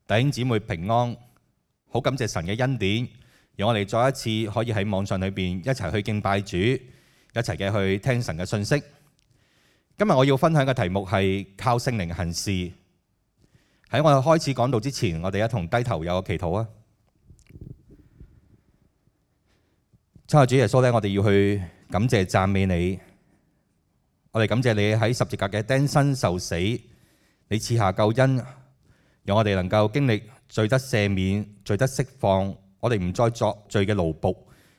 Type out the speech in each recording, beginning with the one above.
弟兄姊妹平安，好感謝神嘅恩典，讓我哋再一次可以喺網上裏邊一齊去敬拜主，一齊嘅去聽神嘅信息。今日我要分享嘅題目係靠聖靈行事。喺我哋開始講道之前，我哋一同低頭有個祈禱啊！親愛主耶穌咧，我哋要去感謝讚美你，我哋感謝你喺十字架嘅釘身受死，你賜下救恩，讓我哋能夠經歷罪得赦免、罪得釋放，我哋唔再作罪嘅奴僕，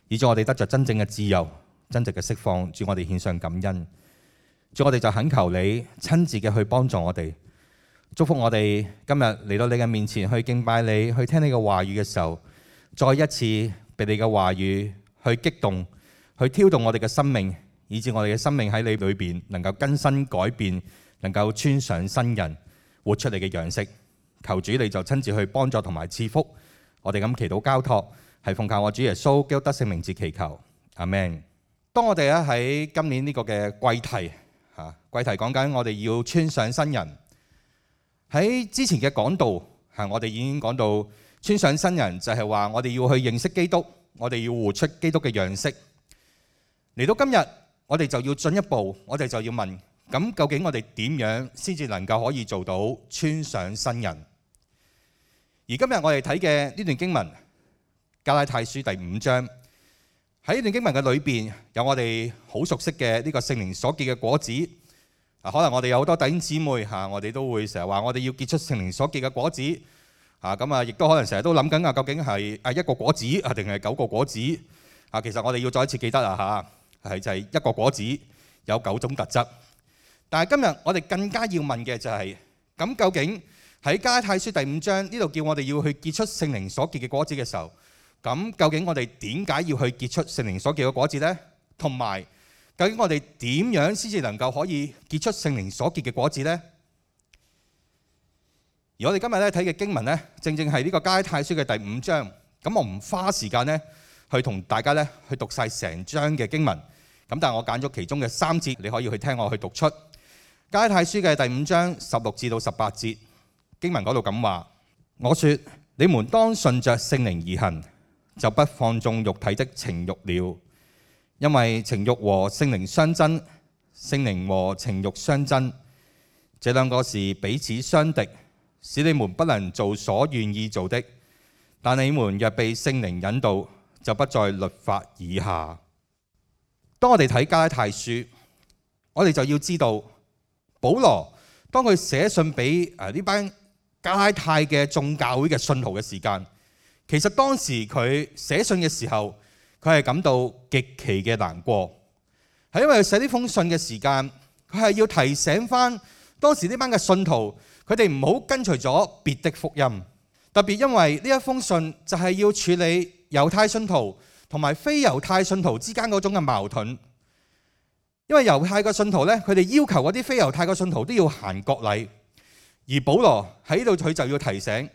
以致我哋得着真正嘅自由、真正嘅釋放。主，我哋獻上感恩。主，我哋就懇求你親自嘅去幫助我哋，祝福我哋今日嚟到你嘅面前去敬拜你，去聽你嘅話語嘅時候，再一次被你嘅話語去激動，去挑動我哋嘅生命，以致我哋嘅生命喺你裏邊能夠更新改變，能夠穿上新人，活出你嘅樣式。求主你就親自去幫助同埋賜福，我哋咁祈禱交託，係奉靠我主耶穌基督得勝名字祈求，阿們。當我哋咧喺今年呢個嘅季題季題講緊我哋要穿上新人。喺之前嘅講道我哋已經講到穿上新人就係話我哋要去認識基督，我哋要活出基督嘅樣式。嚟到今日，我哋就要進一步，我哋就要問，咁究竟我哋點樣先至能夠可以做到穿上新人？而今日我哋睇嘅呢段經文，加拉太書第5章，喺呢段經文嘅裏邊，有我哋好熟悉嘅呢個聖靈所結嘅果子。可能我哋有好多弟兄姊妹我哋都會成日話我哋要結出聖靈所結嘅果子。亦都可能成日都諗緊究竟係一個果子定係9個果子？其實我哋要再一次記得係就係一個果子有9種特質。但係今日我哋更加要問嘅就係，咁究竟喺加拉太書第5章呢度叫我哋要去結出聖靈所結嘅果子嘅時候，咁究竟我哋點解要去結出聖靈所結嘅果子呢？同埋究竟我哋點樣先至能夠可以結出聖靈所結嘅果子呢？而我哋今日咧睇嘅經文呢，正正係呢個加拉太書嘅第5章。咁我唔花時間呢去同大家呢去讀晒成章嘅經文。咁但係我揀咗其中嘅3節，你可以去聽我去讀出加拉太書嘅第5章16至到18節。經文嗰度咁話：我說你們當順着聖靈而行，就不放縱肉體的情慾了。因為情慾和聖靈相爭，聖靈和情慾相爭，這兩個是彼此相敵，使你們不能做所願意做的。但你們若被聖靈引導，就不在律法以下。當我哋睇加拉太書，我哋就要知道保羅當佢寫信俾呢班加拉太嘅眾教會嘅信徒嘅時間，其實當時佢寫信嘅時候，佢係感到極其嘅難過，係因為佢寫呢封信嘅時間，佢係要提醒翻當時呢班嘅信徒，佢哋唔好跟隨咗別的福音。特別因為呢一封信就係要處理猶太信徒同埋非猶太信徒之間嗰種嘅矛盾。因為猶太嘅信徒呢，佢哋要求嗰啲非猶太嘅信徒都要行割禮。而保羅喺呢度佢就要提醒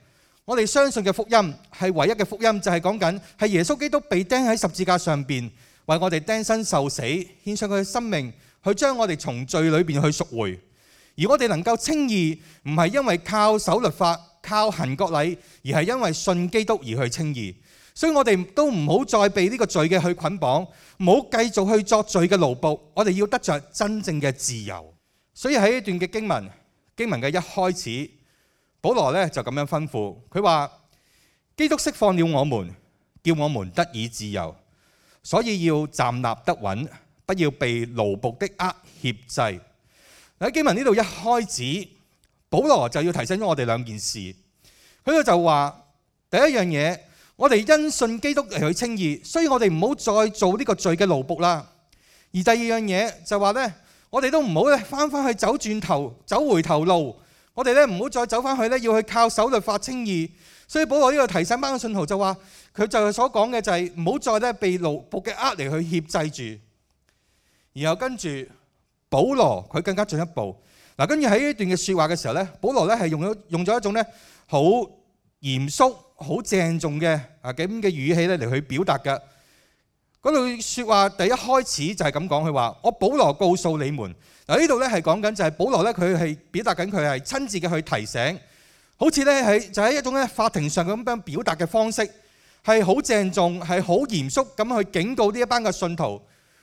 我哋，相信嘅福音係唯一嘅福音，就係講緊係耶穌基督被釘喺十字架上邊，為我哋釘身受死，獻上佢嘅生命，去將我哋從罪裏邊去贖回。而我哋能夠稱義，唔係因為靠守律法、靠行割禮，而係因為信基督而去稱義。所以我哋都唔好再被呢個罪嘅去捆綁，唔好繼續去作罪嘅奴僕。我哋要得着真正嘅自由。所以喺呢段嘅經文嘅一開始，保羅咧就咁樣吩咐，佢話基督釋放了我們，叫我們得以自由，所以要站立得穩，不要被奴僕的軛挾制。喺經文呢度一開始，保羅就要提醒咗我哋2件事。佢就話第一樣嘢，我哋因信基督嚟去稱義，所以我哋唔好再做呢個罪嘅奴僕啦。而第二樣嘢就話咧，我哋都唔好翻返去走回頭路，我哋咧唔好再走翻去咧，要去靠守律法稱義。所以保羅呢個提醒班嘅信徒就話，佢就所講嘅就係唔好再咧被奴僕嘅軛嚟去挾制住。然後跟住保羅佢更加進一步，跟住喺呢段嘅說話嘅時候咧，保羅咧係用咗一種咧好嚴肅、好鄭重嘅咁嘅語氣咧嚟去表達嘅。嗰句說話第一開始就係咁講，佢話我保羅告訴你們。嗱，呢度咧係講緊就係保羅咧佢係表達緊佢係親自嘅去提醒，好似咧就喺一種咧法庭上咁樣表達嘅方式，係好鄭重，係好嚴肅咁去警告呢一班嘅信徒。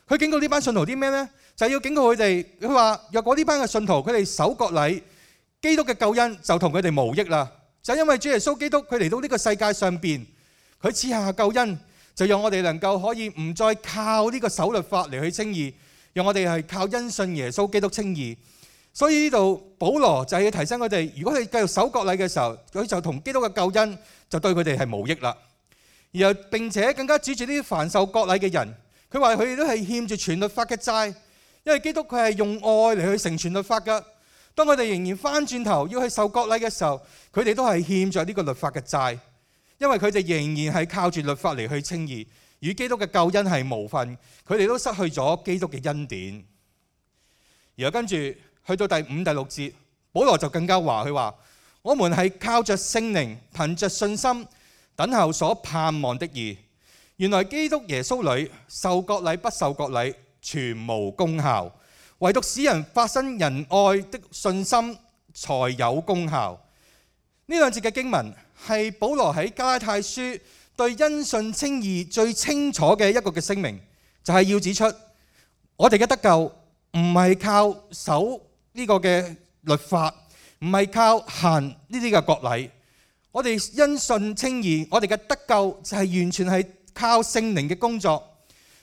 佢警告呢班信徒啲咩呢？就係要警告佢哋，佢話若果呢班嘅信徒佢哋守割禮，基督嘅救恩就同佢哋無益啦。就因為主耶穌基督佢嚟到呢個世界上邊，佢賜下救恩，就讓我哋能夠可以唔再靠呢個守律法嚟去稱義，讓我哋係靠因信耶穌基督稱義。所以呢度保羅就係要提醒佢哋，如果佢繼續守割禮嘅時候，佢就同基督嘅救恩就對佢哋係無益啦。然後並且更加指住呢啲凡受割禮嘅人，佢話佢哋都係欠住全律法嘅債，因為基督佢係用愛嚟去成全律法㗎。當佢哋仍然翻轉頭要去受割禮嘅時候，佢哋都係欠著呢個律法嘅債，因為佢哋仍然係靠住律法嚟去稱義，與基督嘅救恩係無分，佢哋都失去咗基督嘅恩典。然後跟住去到第5、第6節，保羅就更加話，佢話我們係靠着聖靈，憑着信心等候所盼望的義。原來基督耶穌裏受割禮不受割禮全無功效，唯獨使人發生仁愛的信心才有功效。呢兩節嘅經文係保羅喺加拉太書對因信稱義最清楚嘅一個嘅聲明，就係要指出我哋嘅得救唔係靠守呢個嘅律法，唔係靠行呢啲嘅割禮。我哋因信稱義，我哋嘅得救就係完全係靠聖靈嘅工作，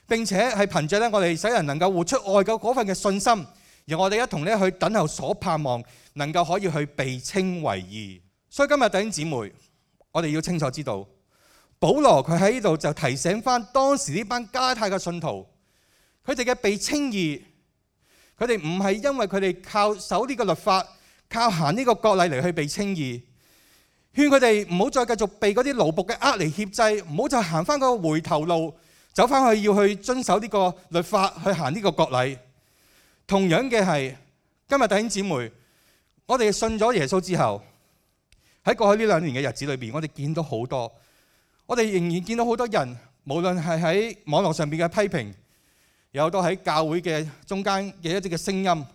並且係憑着我哋使人能夠活出愛嘅嗰份嘅信心，而我哋一同去等候所盼望，能夠可以去被稱為義。所以今日弟兄姊妹，我哋要清楚知道，保羅佢喺呢度就提醒翻當時呢班加拉太嘅信徒，佢哋嘅被稱義，佢哋唔係因為佢哋靠守呢個律法，靠行呢個割禮嚟去被稱義。勸佢哋唔好再繼續被嗰啲奴僕嘅呃嚟挾制，唔好再行翻個回頭路，走翻去要去遵守呢個律法，去行呢個割禮。同樣嘅係，今日弟兄姊妹，我哋信咗耶穌之後，喺過去呢2年嘅日子裏邊，我哋見到好多，我哋仍然見到好多人，無論係喺網絡上邊嘅批評，有都喺教會嘅中間嘅一啲嘅聲音，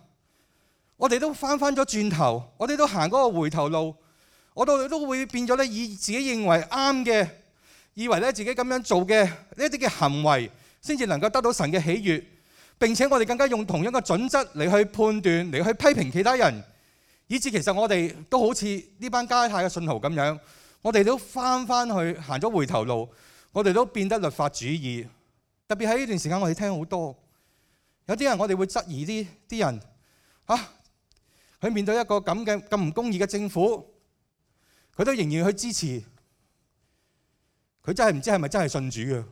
我哋都翻咗轉頭，我哋都行嗰個回頭路。我哋都會變咗咧，以自己認為啱嘅，以為咧自己咁樣做嘅呢一啲嘅行為，先至能夠得到神嘅喜悅。並且我哋更加用同樣嘅準則嚟去判斷，嚟去批評其他人，以至其實我哋都好似呢班加拉太嘅信徒咁樣，我哋都翻去行咗回頭路，我哋都變得律法主義。特別喺呢段時間，我哋聽好多有啲人，我哋會質疑啲人佢面對一個咁唔公義嘅政府，佢都仍然去支持，佢真係唔知係咪真係信主嘅。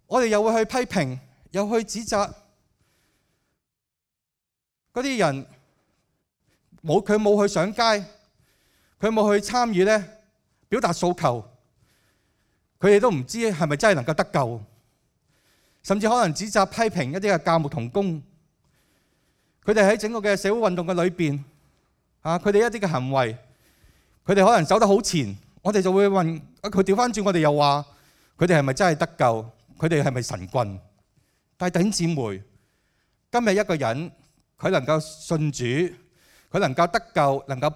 我哋又會去批評，又去指責嗰啲人，佢冇去上街，佢冇去參與咧表達訴求，佢哋都唔知係咪真係能夠得救，甚至可能指責批評一啲嘅教牧同工，佢哋喺整個嘅社會運動嘅裏邊佢哋一啲嘅行為，佢哋可能走得好前，我哋就會問佢，調翻轉，我哋又話佢哋係咪真係得救？佢哋係咪神棍？但係弟兄姊妹，今日一個人佢能夠信主，佢能夠得救，能夠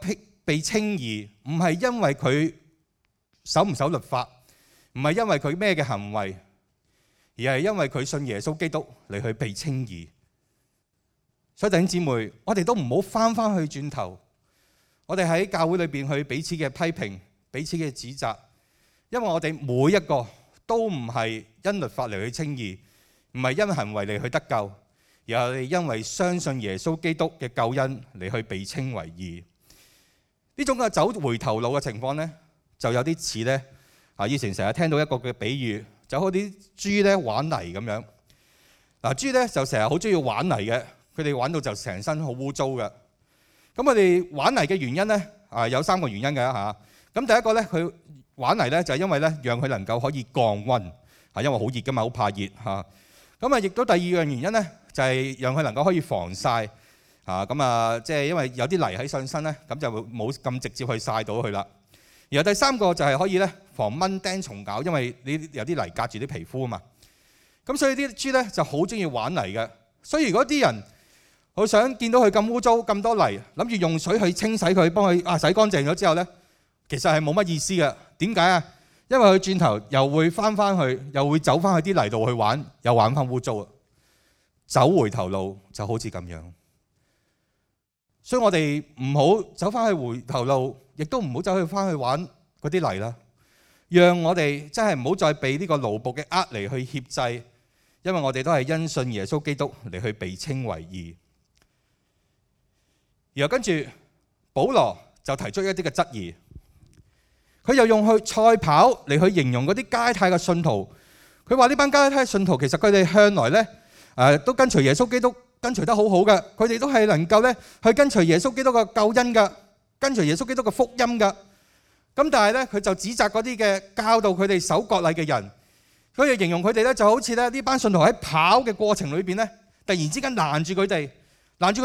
被稱義，唔係因為佢守唔守律法，唔係因為佢咩嘅行為，而係因為佢信耶穌基督嚟去被稱義。所以弟兄姊妹，我哋都唔好翻去轉頭，我哋喺教會裏邊去彼此嘅批評，彼此嘅指責，因為我哋每一個都唔係因律法嚟去稱義，唔係因行為嚟去得救，而係因為相信耶穌基督嘅救恩嚟去被稱為義。呢種嘅走回頭路嘅情況呢，就有啲似呢以前成日聽到一個嘅比喻，就好似啲豬咧玩泥咁樣。豬咧就成日好中意玩泥嘅，佢哋玩到就成身好污糟嘅。咁佢哋玩泥嘅原因呢，有3個原因嘅嚇。咁第一個呢，佢玩泥呢就係因為呢，讓佢能夠可以降溫，因為好熱㗎嘛，好怕熱嚇。咁亦都第二樣原因呢，就係讓佢能夠可以防曬嚇。即係因為有啲泥喺上身呢，咁就冇咁直接去曬到佢啦。然後第3個就係可以呢，防蚊叮蟲咬，因為你有啲泥隔住啲皮膚啊嘛。咁所以啲豬呢就好中意玩泥嘅。所以如果啲人好想見到佢咁污糟咁多泥，諗住用水去清洗佢，幫佢洗乾淨咗之後呢，其實係冇乜意思嘅。點解啊？因為佢轉頭又會翻去，又會走翻去啲泥度去玩，又玩翻污糟啊！走回頭路就好似咁樣。所以我哋唔好走翻去回頭路，亦都唔好走去翻去玩嗰啲泥啦。讓我哋真係唔好再被呢個奴僕嘅軛嚟去挾制，因為我哋都係因信耶穌基督嚟去被稱為義。然後跟住保羅就提出一啲嘅質疑，佢又用去賽跑嚟去形容嗰啲加拉太嘅信徒。佢話呢班加拉太嘅信徒其實佢哋向來呢都跟隨耶穌基督跟隨得好好嘅，佢哋都係能夠呢去跟隨耶穌基督嘅救恩嘅，跟隨耶穌基督嘅福音嘅。咁但係咧，佢就指責嗰啲嘅教導佢哋守割禮嘅人，佢就形容佢哋咧就好似咧呢班信徒喺跑嘅過程裏邊咧，突然之間攔住佢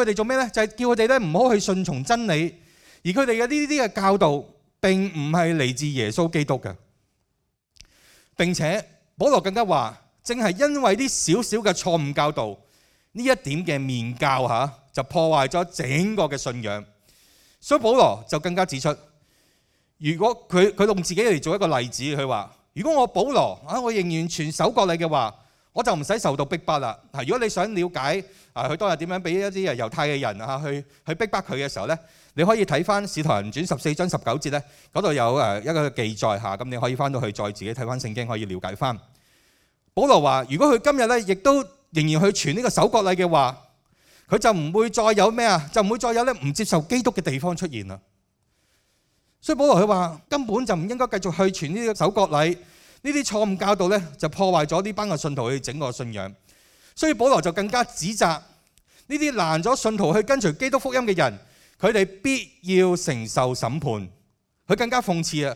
哋做咩咧？就係叫佢哋咧唔好去順從真理，而佢哋嘅呢啲嘅教導並唔係嚟自耶穌基督嘅。並且保羅更加話，正係因為啲少少嘅錯誤教導呢一點嘅面教嚇，就破壞咗整個嘅信仰。所以保羅就更加指出。如果佢用自己嚟做一個例子，佢話：如果我保羅我仍然全守割禮嘅話，我就唔使受到逼迫啦。如果你想了解佢當日點樣俾一啲猶太嘅人去逼迫佢嘅時候呢，你可以睇翻《使徒行傳》14章19節呢，嗰度有一個記載嚇，咁你可以翻到去再自己睇翻聖經，可以了解翻。保羅話：如果佢今日呢亦都仍然去傳呢個守割禮嘅話，佢就唔會再有咩啊？就唔會再有咧唔接受基督嘅地方出現啦。所以保羅佢話根本就唔應該繼續去傳呢個守割禮，呢啲錯誤教導咧就破壞咗呢班嘅信徒去整個信仰。所以保羅就更加指責呢啲攔咗信徒去跟隨基督福音嘅人，佢哋必要承受審判。佢更加諷刺啊！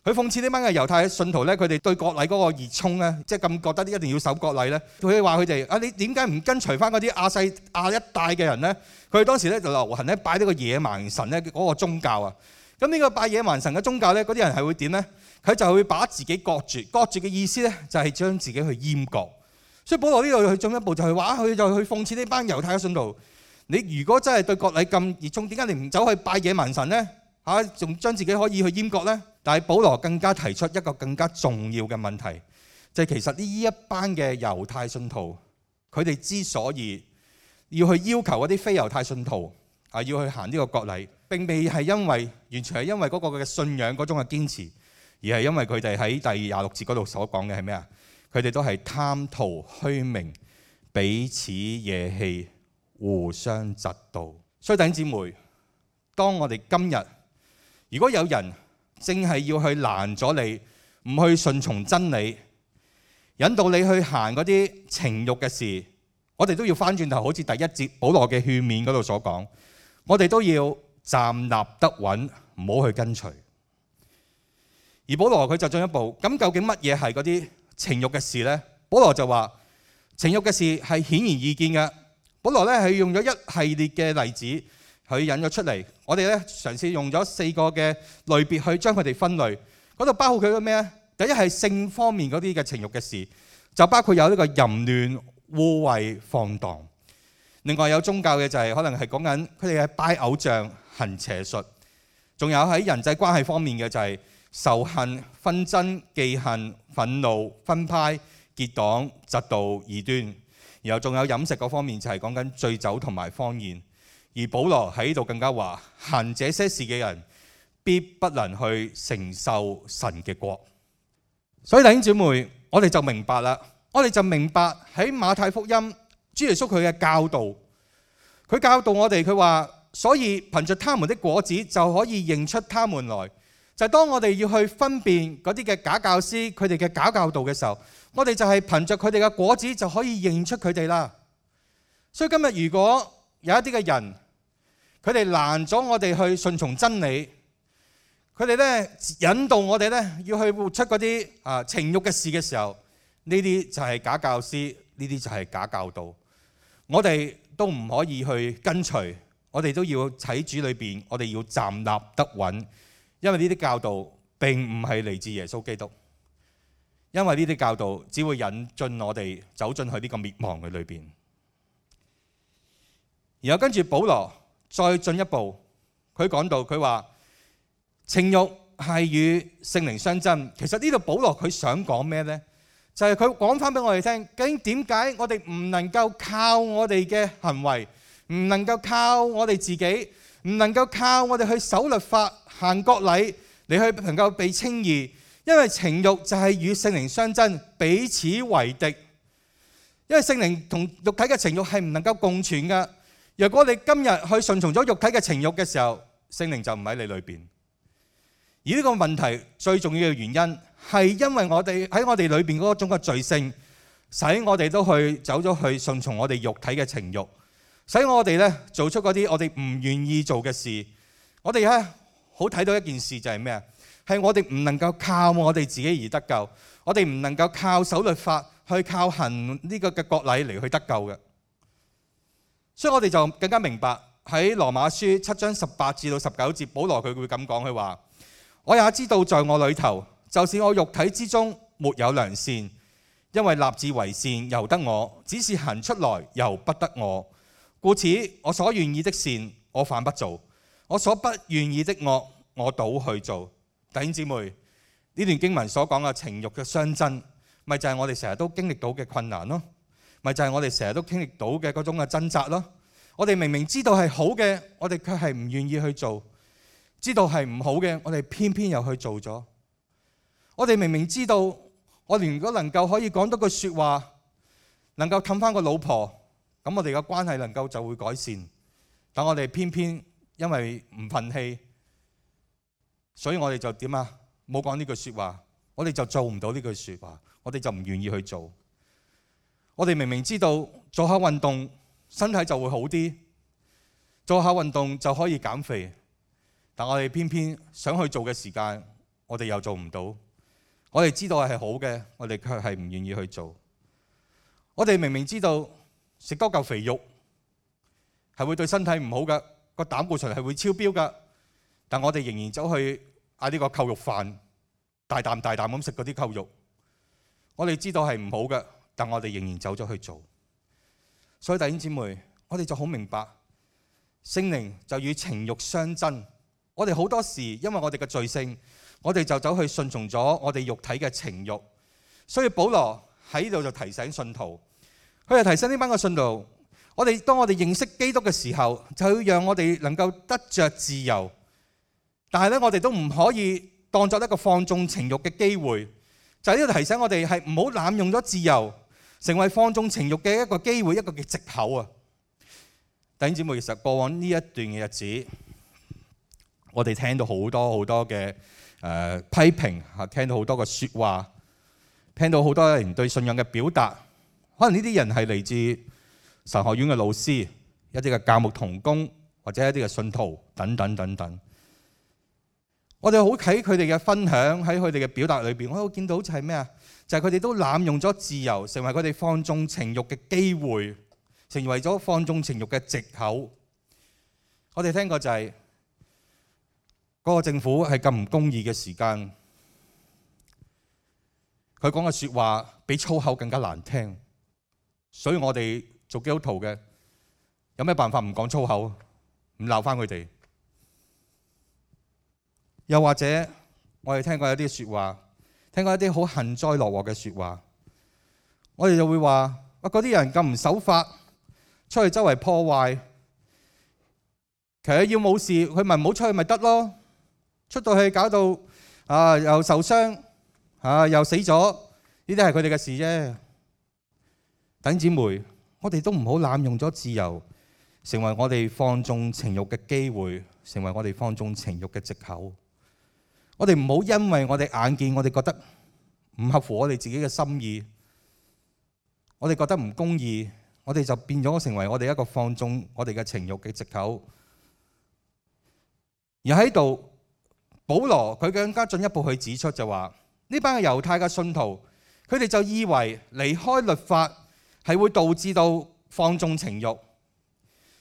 佢諷刺呢班嘅猶太信徒咧，佢哋對割禮嗰個熱衷咧，即係咁覺得一定要守割禮咧。佢話佢哋你點解唔跟隨翻嗰啲亞一帶嘅人咧？佢哋當時咧就流行咧拜呢個野蠻神咧嗰個宗教啊。咁呢個拜野蠻神嘅宗教咧，嗰啲人係會點咧？佢就會把自己割住嘅意思咧，就係將自己去閹割。所以保羅呢度去進一步就係話，佢就去諷刺呢班猶太嘅信徒。你如果真係對割禮咁熱衷，點解你唔走去拜野蠻神咧？仲將自己可以去閹割咧？但係保羅更加提出一個更加重要嘅問題，就係其實呢一班嘅猶太信徒，佢哋之所以要去要求嗰啲非猶太信徒要去行呢個割禮，並未係因為完全係因為嗰個嘅信仰嗰種嘅堅持，而係因為佢哋喺第26節嗰度所講嘅係咩啊？佢哋都係貪圖虛名，彼此惹氣，互相嫉妒。所以弟兄姊妹，當我哋今日如果有人正係要去攔咗你，唔去順從真理，引導你去行嗰啲情慾嘅事，我哋都要翻轉頭，好似第一節保羅嘅勸勉嗰度所講，我哋都要站立得穩，唔好去跟隨。而保羅佢就進一步，咁究竟乜嘢係嗰啲情慾嘅事呢？保羅就話情慾嘅事係顯而易見嘅。保羅咧係用咗一系列嘅例子去引咗出嚟，我哋咧嘗試用咗4個嘅類別去將佢哋分類。嗰度包括佢嘅咩咧？第一係性方面嗰啲嘅情慾嘅事，就包括有呢個淫亂、污穢、放蕩。另外有宗教嘅就係可能係講緊佢哋係拜偶像、行邪術。仲有喺人際關係方面嘅就係仇恨、紛爭、忌恨、憤怒、分派、結黨、嫉妒、異端。然後仲有飲食嗰方面就係講緊醉酒同埋荒宴。而保羅喺度更加話，行這些事嘅人必不能去承受神嘅國。所以弟兄姊妹，我哋就明白啦，我哋就明白喺馬太福音主耶穌佢嘅教導，佢教導我哋，佢話所以憑着他們的果子就可以認出他們來。就係當我哋要去分辨嗰啲嘅假教師佢哋嘅假教導嘅時候，我哋就係憑着佢哋嘅果子就可以認出佢哋啦。所以今日如果有一啲嘅人，佢哋攔咗我哋去順從真理，佢哋咧引導我哋咧要去活出嗰啲情慾嘅事嘅時候，呢啲就係假教師，呢啲就係假教導。我哋都唔可以去跟隨，我哋都要喺主裏邊，我哋要站立得穩，因為呢啲教導並唔係嚟自耶穌基督，因為呢啲教導只會引進我哋走進去呢個滅亡嘅裏邊。然後跟住保羅再進一步，佢講到佢話情慾係與聖靈相爭。其實呢度保羅佢想講咩呢？就係佢講翻俾我哋聽，究竟點解我哋唔能夠靠我哋嘅行為，唔能夠靠我哋自己，唔能夠靠我哋去守律法、行割禮嚟去能夠被稱義？因為情慾就係與聖靈相爭，彼此為敵。因為聖靈同肉體嘅情慾係唔能夠共存㗎。若果你今日去順從咗肉體嘅情慾嘅時候，聖靈就唔喺你裏邊。而呢個問題最重要嘅原因係因為我哋喺我哋裏邊嗰種嘅罪性，使我哋都去走咗去順從我哋肉體嘅情慾，使我哋咧做出嗰啲我哋唔願意做嘅事。我哋咧好睇到一件事就係咩啊？係我哋唔能夠靠我哋自己而得救，我哋唔能夠靠守律法去靠行呢個嘅割禮嚟去得救嘅。所以我哋就更加明白喺羅馬書7章18至到19節，保羅佢會咁講，佢話：我也知道在我裏頭，就是我肉體之中沒有良善，因為立志為善由得我，只是行出來由不得我。故此我所願意的善我反不做，我所不願意的惡我倒去做。弟兄姊妹，呢段經文所講嘅情慾嘅相爭，咪就係我哋成日都經歷到嘅困難咯，咪就係我哋成日都經歷到嘅嗰種嘅掙扎咯。我哋明明知道係好嘅，我哋卻係唔願意去做；知道係唔好嘅，我哋偏偏又去做咗。我哋明明知道，我哋如果能夠可以講多句説話，能夠氹翻個老婆，咁我哋嘅關係能夠就會改善。但我哋偏偏因為唔憤氣，所以我哋就點啊？冇講呢句説話，我哋就做唔到呢句説話，我哋就唔願意去做。我哋明明知道做下運動身體就會好啲，做下運動就可以減肥，但我哋偏偏想去做嘅時間，我哋又做唔到。我哋知道係好嘅，我哋卻係唔願意去做。我哋明明知道食多嚿肥肉係會對身體唔好嘅，個膽固醇係會超標嘅，但我哋仍然走去嗌呢個扣肉飯，大啖大啖咁食嗰啲扣肉。我哋知道係唔好嘅，但我哋仍然走咗去做。所以弟兄姊妹，我哋就好明白，聖靈就與情慾相爭。我哋好多時因為我哋嘅罪性，我哋就走去順從咗我哋肉體嘅情慾。所以保羅喺呢度就提醒信徒，佢就提醒呢班嘅信徒，當我哋認識基督嘅時候，就要讓我哋能夠得着自由。但係咧，我哋都唔可以當作一個放縱情慾嘅機會。就喺呢度提醒我哋係唔好濫用咗自由，成為放縱情慾嘅一個機會，一個嘅藉口啊！弟兄姊妹，其實過往呢一段嘅日子，我哋聽到好多嘅批評嚇，聽到好多嘅説話，聽到好多人對信仰嘅表達。可能呢啲人係嚟自神學院嘅老師、一啲嘅教牧同工或者一啲嘅信徒等等等等。我哋好睇佢哋嘅分享，喺佢哋嘅表達裏邊，我都見到就係咩啊？就係佢哋都濫用咗自由，成為佢哋放縱情慾嘅機會，成為咗放縱情慾嘅藉口。我哋聽過就係嗰個政府係咁唔公義嘅時間，佢講嘅説話比粗口更加難聽，所以我哋做基督徒嘅有咩辦法唔講粗口，唔鬧翻佢哋？又或者我哋聽過一啲説話，聽過一啲好幸災樂禍嘅説話，我哋就會話：嗰啲人咁唔守法，出去周圍破壞，其實要冇事，佢咪唔好出去咪得咯？出到去搞到又受傷又死咗，呢啲係佢哋嘅事啫。弟兄姊妹，我哋都唔好濫用咗自由，成為我哋放縱情慾嘅機會，成為我哋放縱情慾嘅藉口。我哋唔好因為我哋眼見，我哋覺得唔合乎我哋自己嘅心意，我哋覺得唔公義，我哋就變咗成為我哋一個放縱我哋嘅情慾嘅藉口。而喺度，保羅佢更加進一步去指出就話，呢班嘅猶太嘅信徒，佢哋就以為離開律法係會導致到放縱情慾，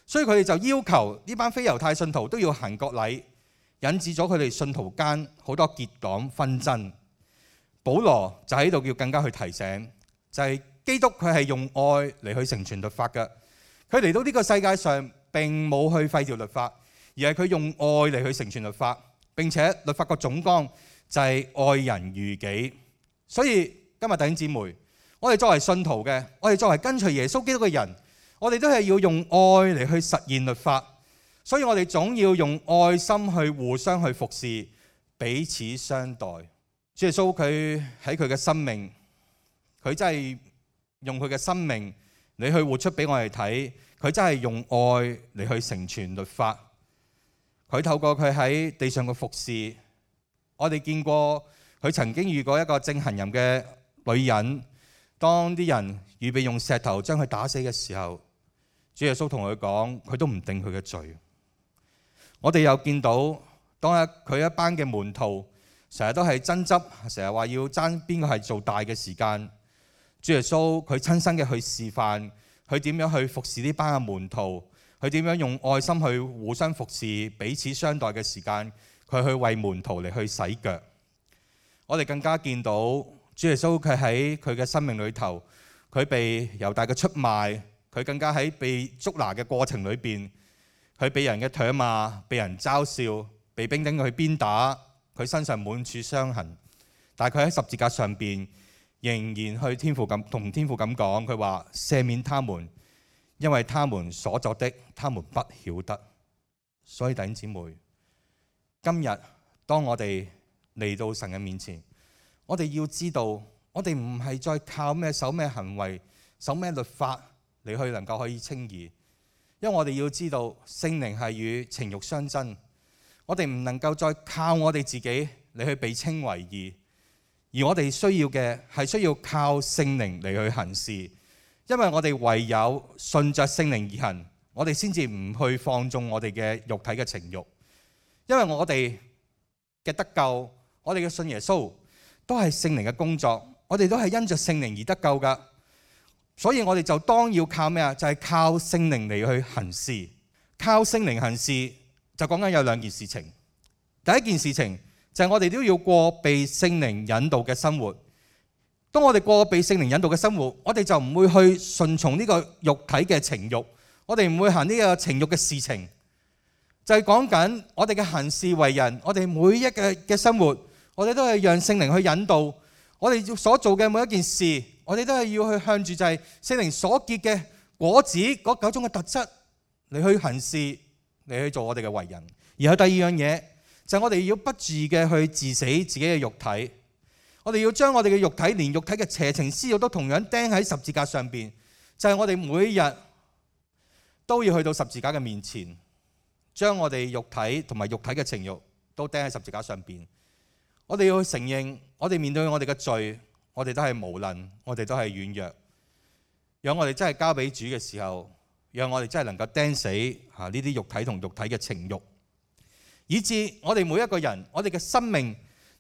所以佢哋就要求呢班非猶太信徒都要行割禮，引致咗佢哋信徒間好多結黨紛爭。保羅就喺度要更加去提醒，就係基督佢係用愛嚟去成全律法嘅。佢嚟到呢個世界上並冇去廢掉律法，而係佢用愛嚟去成全律法。並且律法個總綱就係愛人如己。所以今日弟兄姊妹，我哋作為信徒嘅，我哋作為跟隨耶穌基督嘅人，我哋都係要用愛嚟去實現律法。所以我哋總要用愛心去互相去服侍，彼此相待。主耶穌佢喺佢嘅生命，佢真係用佢嘅生命你去活出俾我哋睇，佢真係用愛嚟去成全律法。佢透過佢喺地上嘅服侍，我哋見過佢曾經遇過一個正行淫嘅女人，當啲人預備用石頭將佢打死嘅時候，主耶穌同佢講，佢都唔定佢嘅罪。我哋又見到當佢一班嘅門徒成日都係爭執，成日話要爭邊個係做大嘅時間，主耶穌佢親身嘅去示範，佢點樣去服侍呢班嘅門徒，佢點樣用愛心去互相服侍，彼此相待嘅時間，佢去為門徒嚟去洗腳。我哋更加見到主耶穌佢喺佢嘅生命裏頭，佢被猶大嘅出賣，佢更加喺被捉拿嘅過程裏邊，佢被人嘅唾罵，被人嘲笑，被兵丁去鞭打，佢身上滿處傷痕，但係佢喺十字架上邊仍然去同天父咁講，佢話赦免他們，因為他們所作的，他們不曉得。所以弟兄姊妹，今日當我哋嚟到神嘅面前，我哋要知道，我哋唔係再靠咩守咩行為、守咩律法嚟去能夠可以稱義。因為我哋要知道聖靈係與情慾相爭，我哋唔能夠再靠我哋自己嚟去被稱為義，而我哋需要嘅係需要靠聖靈嚟去行事。因為我哋唯有順着聖靈而行，我哋先至唔去放縱我哋嘅肉體嘅情慾。因為我哋嘅得救，我哋嘅信耶穌都係聖靈嘅工作，我哋都係因着聖靈而得救㗎。所以我哋就當要靠咩啊？就係靠聖靈嚟去行事。靠聖靈行事就講緊有兩件事情。第一件事情就係我哋都要過被聖靈引導嘅生活。當我哋過被聖靈引導嘅生活，我哋就唔會去順從呢個肉體嘅情慾，我哋唔會行呢個情慾嘅事情。就係講緊我哋嘅行事為人，我哋每一嘅生活，我哋都係讓聖靈去引導。我哋所做嘅每一件事，我哋都係要去向住就係聖靈所結嘅果子嗰9種嘅特質嚟去行事，嚟去做我哋嘅為人。然後第二樣嘢就係我哋要不住嘅去治死自己嘅肉體，我哋要將我哋嘅肉體，連肉體嘅邪情私慾都同樣釘喺十字架上邊。就係我哋每日都要去到十字架嘅面前，將我哋肉體同埋肉體嘅情慾都釘喺十字架上邊。我哋要去承認，我哋面對我哋嘅罪，我哋都係無能，我哋都係軟弱。讓我哋真係交俾主嘅時候，讓我哋真係能夠釘死呢啲肉體同肉體嘅情慾，以致我哋每一個人，我哋嘅生命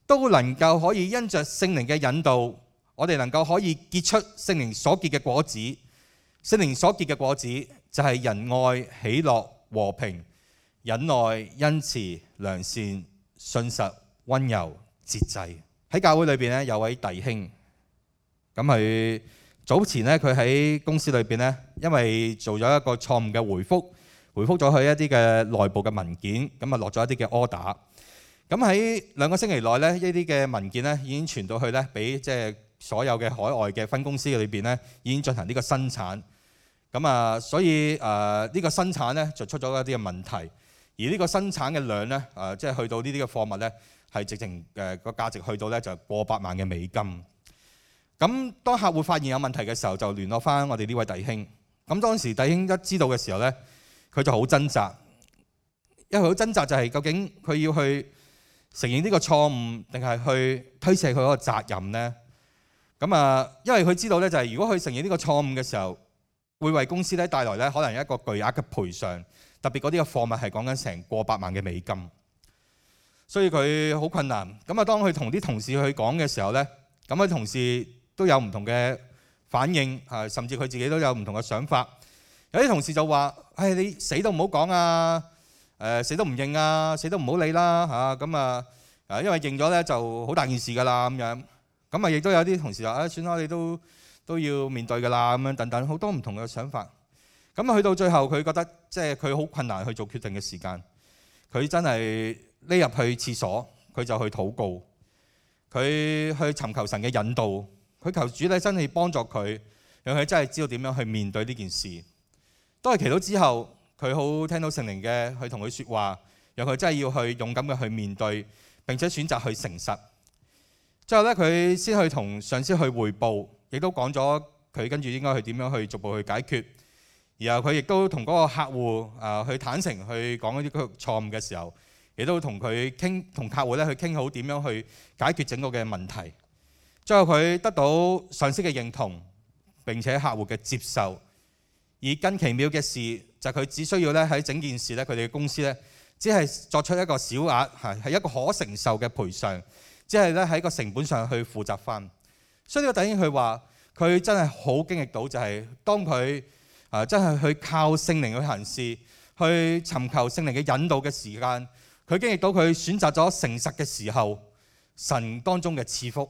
都能夠可以因着聖靈嘅引導，我哋能夠可以結出聖靈所結嘅果子。聖靈所結嘅果子就係仁愛、喜樂、和平、忍耐、恩慈、良善、信實、溫柔、節制。喺教會裏邊咧，有位弟兄，咁佢早前咧，佢喺公司裏邊咧，因為做咗一個錯誤嘅回覆咗佢一啲嘅內部嘅文件，咁啊落咗一啲嘅 order。咁喺2個星期內咧，呢啲嘅文件咧已經傳到去咧，俾即係所有嘅海外嘅分公司裏邊咧，已經進行呢個生產。咁啊，所以呢個生產咧就出咗一啲嘅問題，而呢個生產嘅量咧，即係去到呢啲嘅貨物咧，係直情個價值去到咧就過百萬嘅美金。咁當客戶發現有問題嘅時候，就聯絡翻我哋呢位弟兄。咁當時弟兄一知道嘅時候咧，佢就好掙扎，因為好掙扎就係究竟佢要去承認呢個錯誤，定係去推卸佢嗰個責任呢？咁啊，因為佢知道咧，就係如果佢承認呢個錯誤嘅時候，會為公司咧帶來咧可能一個巨額嘅賠償，特別嗰啲嘅貨物係講緊成過百萬嘅美金。所以佢好困難。咁啊，當佢同啲同事去講嘅時候咧，咁佢同事都有唔同嘅反應，甚至佢自己都有唔同嘅想法。有啲同事就話：唉，你死都唔好講啊！死都唔認啊！死都唔好理啦嚇！咁啊，因為認咗咧就好大件事㗎啦咁樣。咁啊，亦都有啲同事話：算啦，你都要面對㗎啦咁樣等等，好多唔同嘅想法。咁去到最後，佢覺得即係佢好困難去做決定嘅時間，佢真係匿入去廁所，佢就去禱告，佢去尋求神嘅引導，佢求主咧真係幫助佢，讓佢真係知道點樣去面對呢件事。當佢祈禱之後，佢好聽到聖靈嘅去同佢說話，讓佢真係要去勇敢嘅去面對，並且選擇去誠實。最後咧，佢先去同上司去彙報，亦都講咗佢跟住應該去點樣去逐步去解決。然後佢亦都同嗰個客戶去坦誠去講一啲錯誤嘅時候，亦都同佢傾，同客戶咧去傾好點樣去解決整個嘅問題。最後佢得到上司嘅認同，並且客戶嘅接受。而更奇妙嘅事就係佢只需要咧喺整件事咧，佢哋嘅公司咧只係作出一個小額係一個可承受嘅賠償，只係咧喺個成本上去負責翻。所以呢個弟兄佢話佢真係好經歷到，就係當佢真係去靠聖靈去行事，去尋求聖靈嘅引導嘅時間，佢經歷到佢選擇咗誠實嘅時候，神當中嘅賜福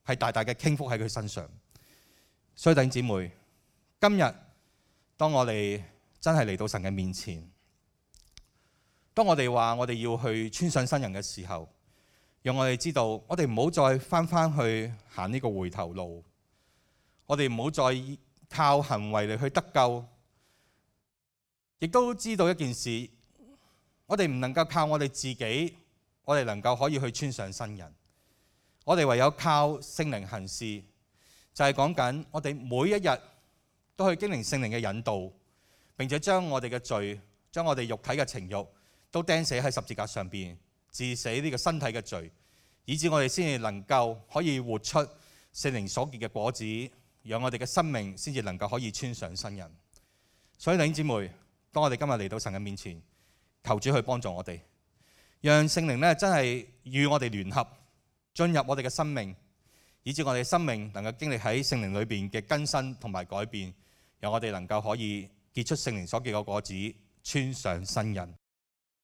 係大大嘅傾覆喺佢身上。所以弟兄姊妹，今日當我哋真係嚟到神嘅面前，當我哋話我哋要去穿上新人嘅時候，讓我哋知道，我哋唔好再翻去行呢個回頭路，我哋唔好再靠行為嚟去得救，亦都知道一件事，我哋唔能夠靠我哋自己，我哋能夠可以去穿上新人，我哋唯有靠聖靈行事，就係講緊我哋每一日都去經歷聖靈嘅引導，並且將我哋嘅罪，將我哋肉體嘅情慾都釘死喺十字架上邊，治死呢個身體嘅罪，以致我哋先至能夠可以活出聖靈所結嘅果子，讓我哋嘅生命先至能夠可以穿上新人。所以弟兄姊妹，當我哋今日嚟到神嘅面前，求主去幫助我哋，讓聖靈咧真係與我哋聯合，進入我哋嘅生命，以致我哋嘅生命能夠經歷喺聖靈裏邊嘅更新同埋改變，讓我哋能夠可以結出聖靈所結嘅果子，穿上新人。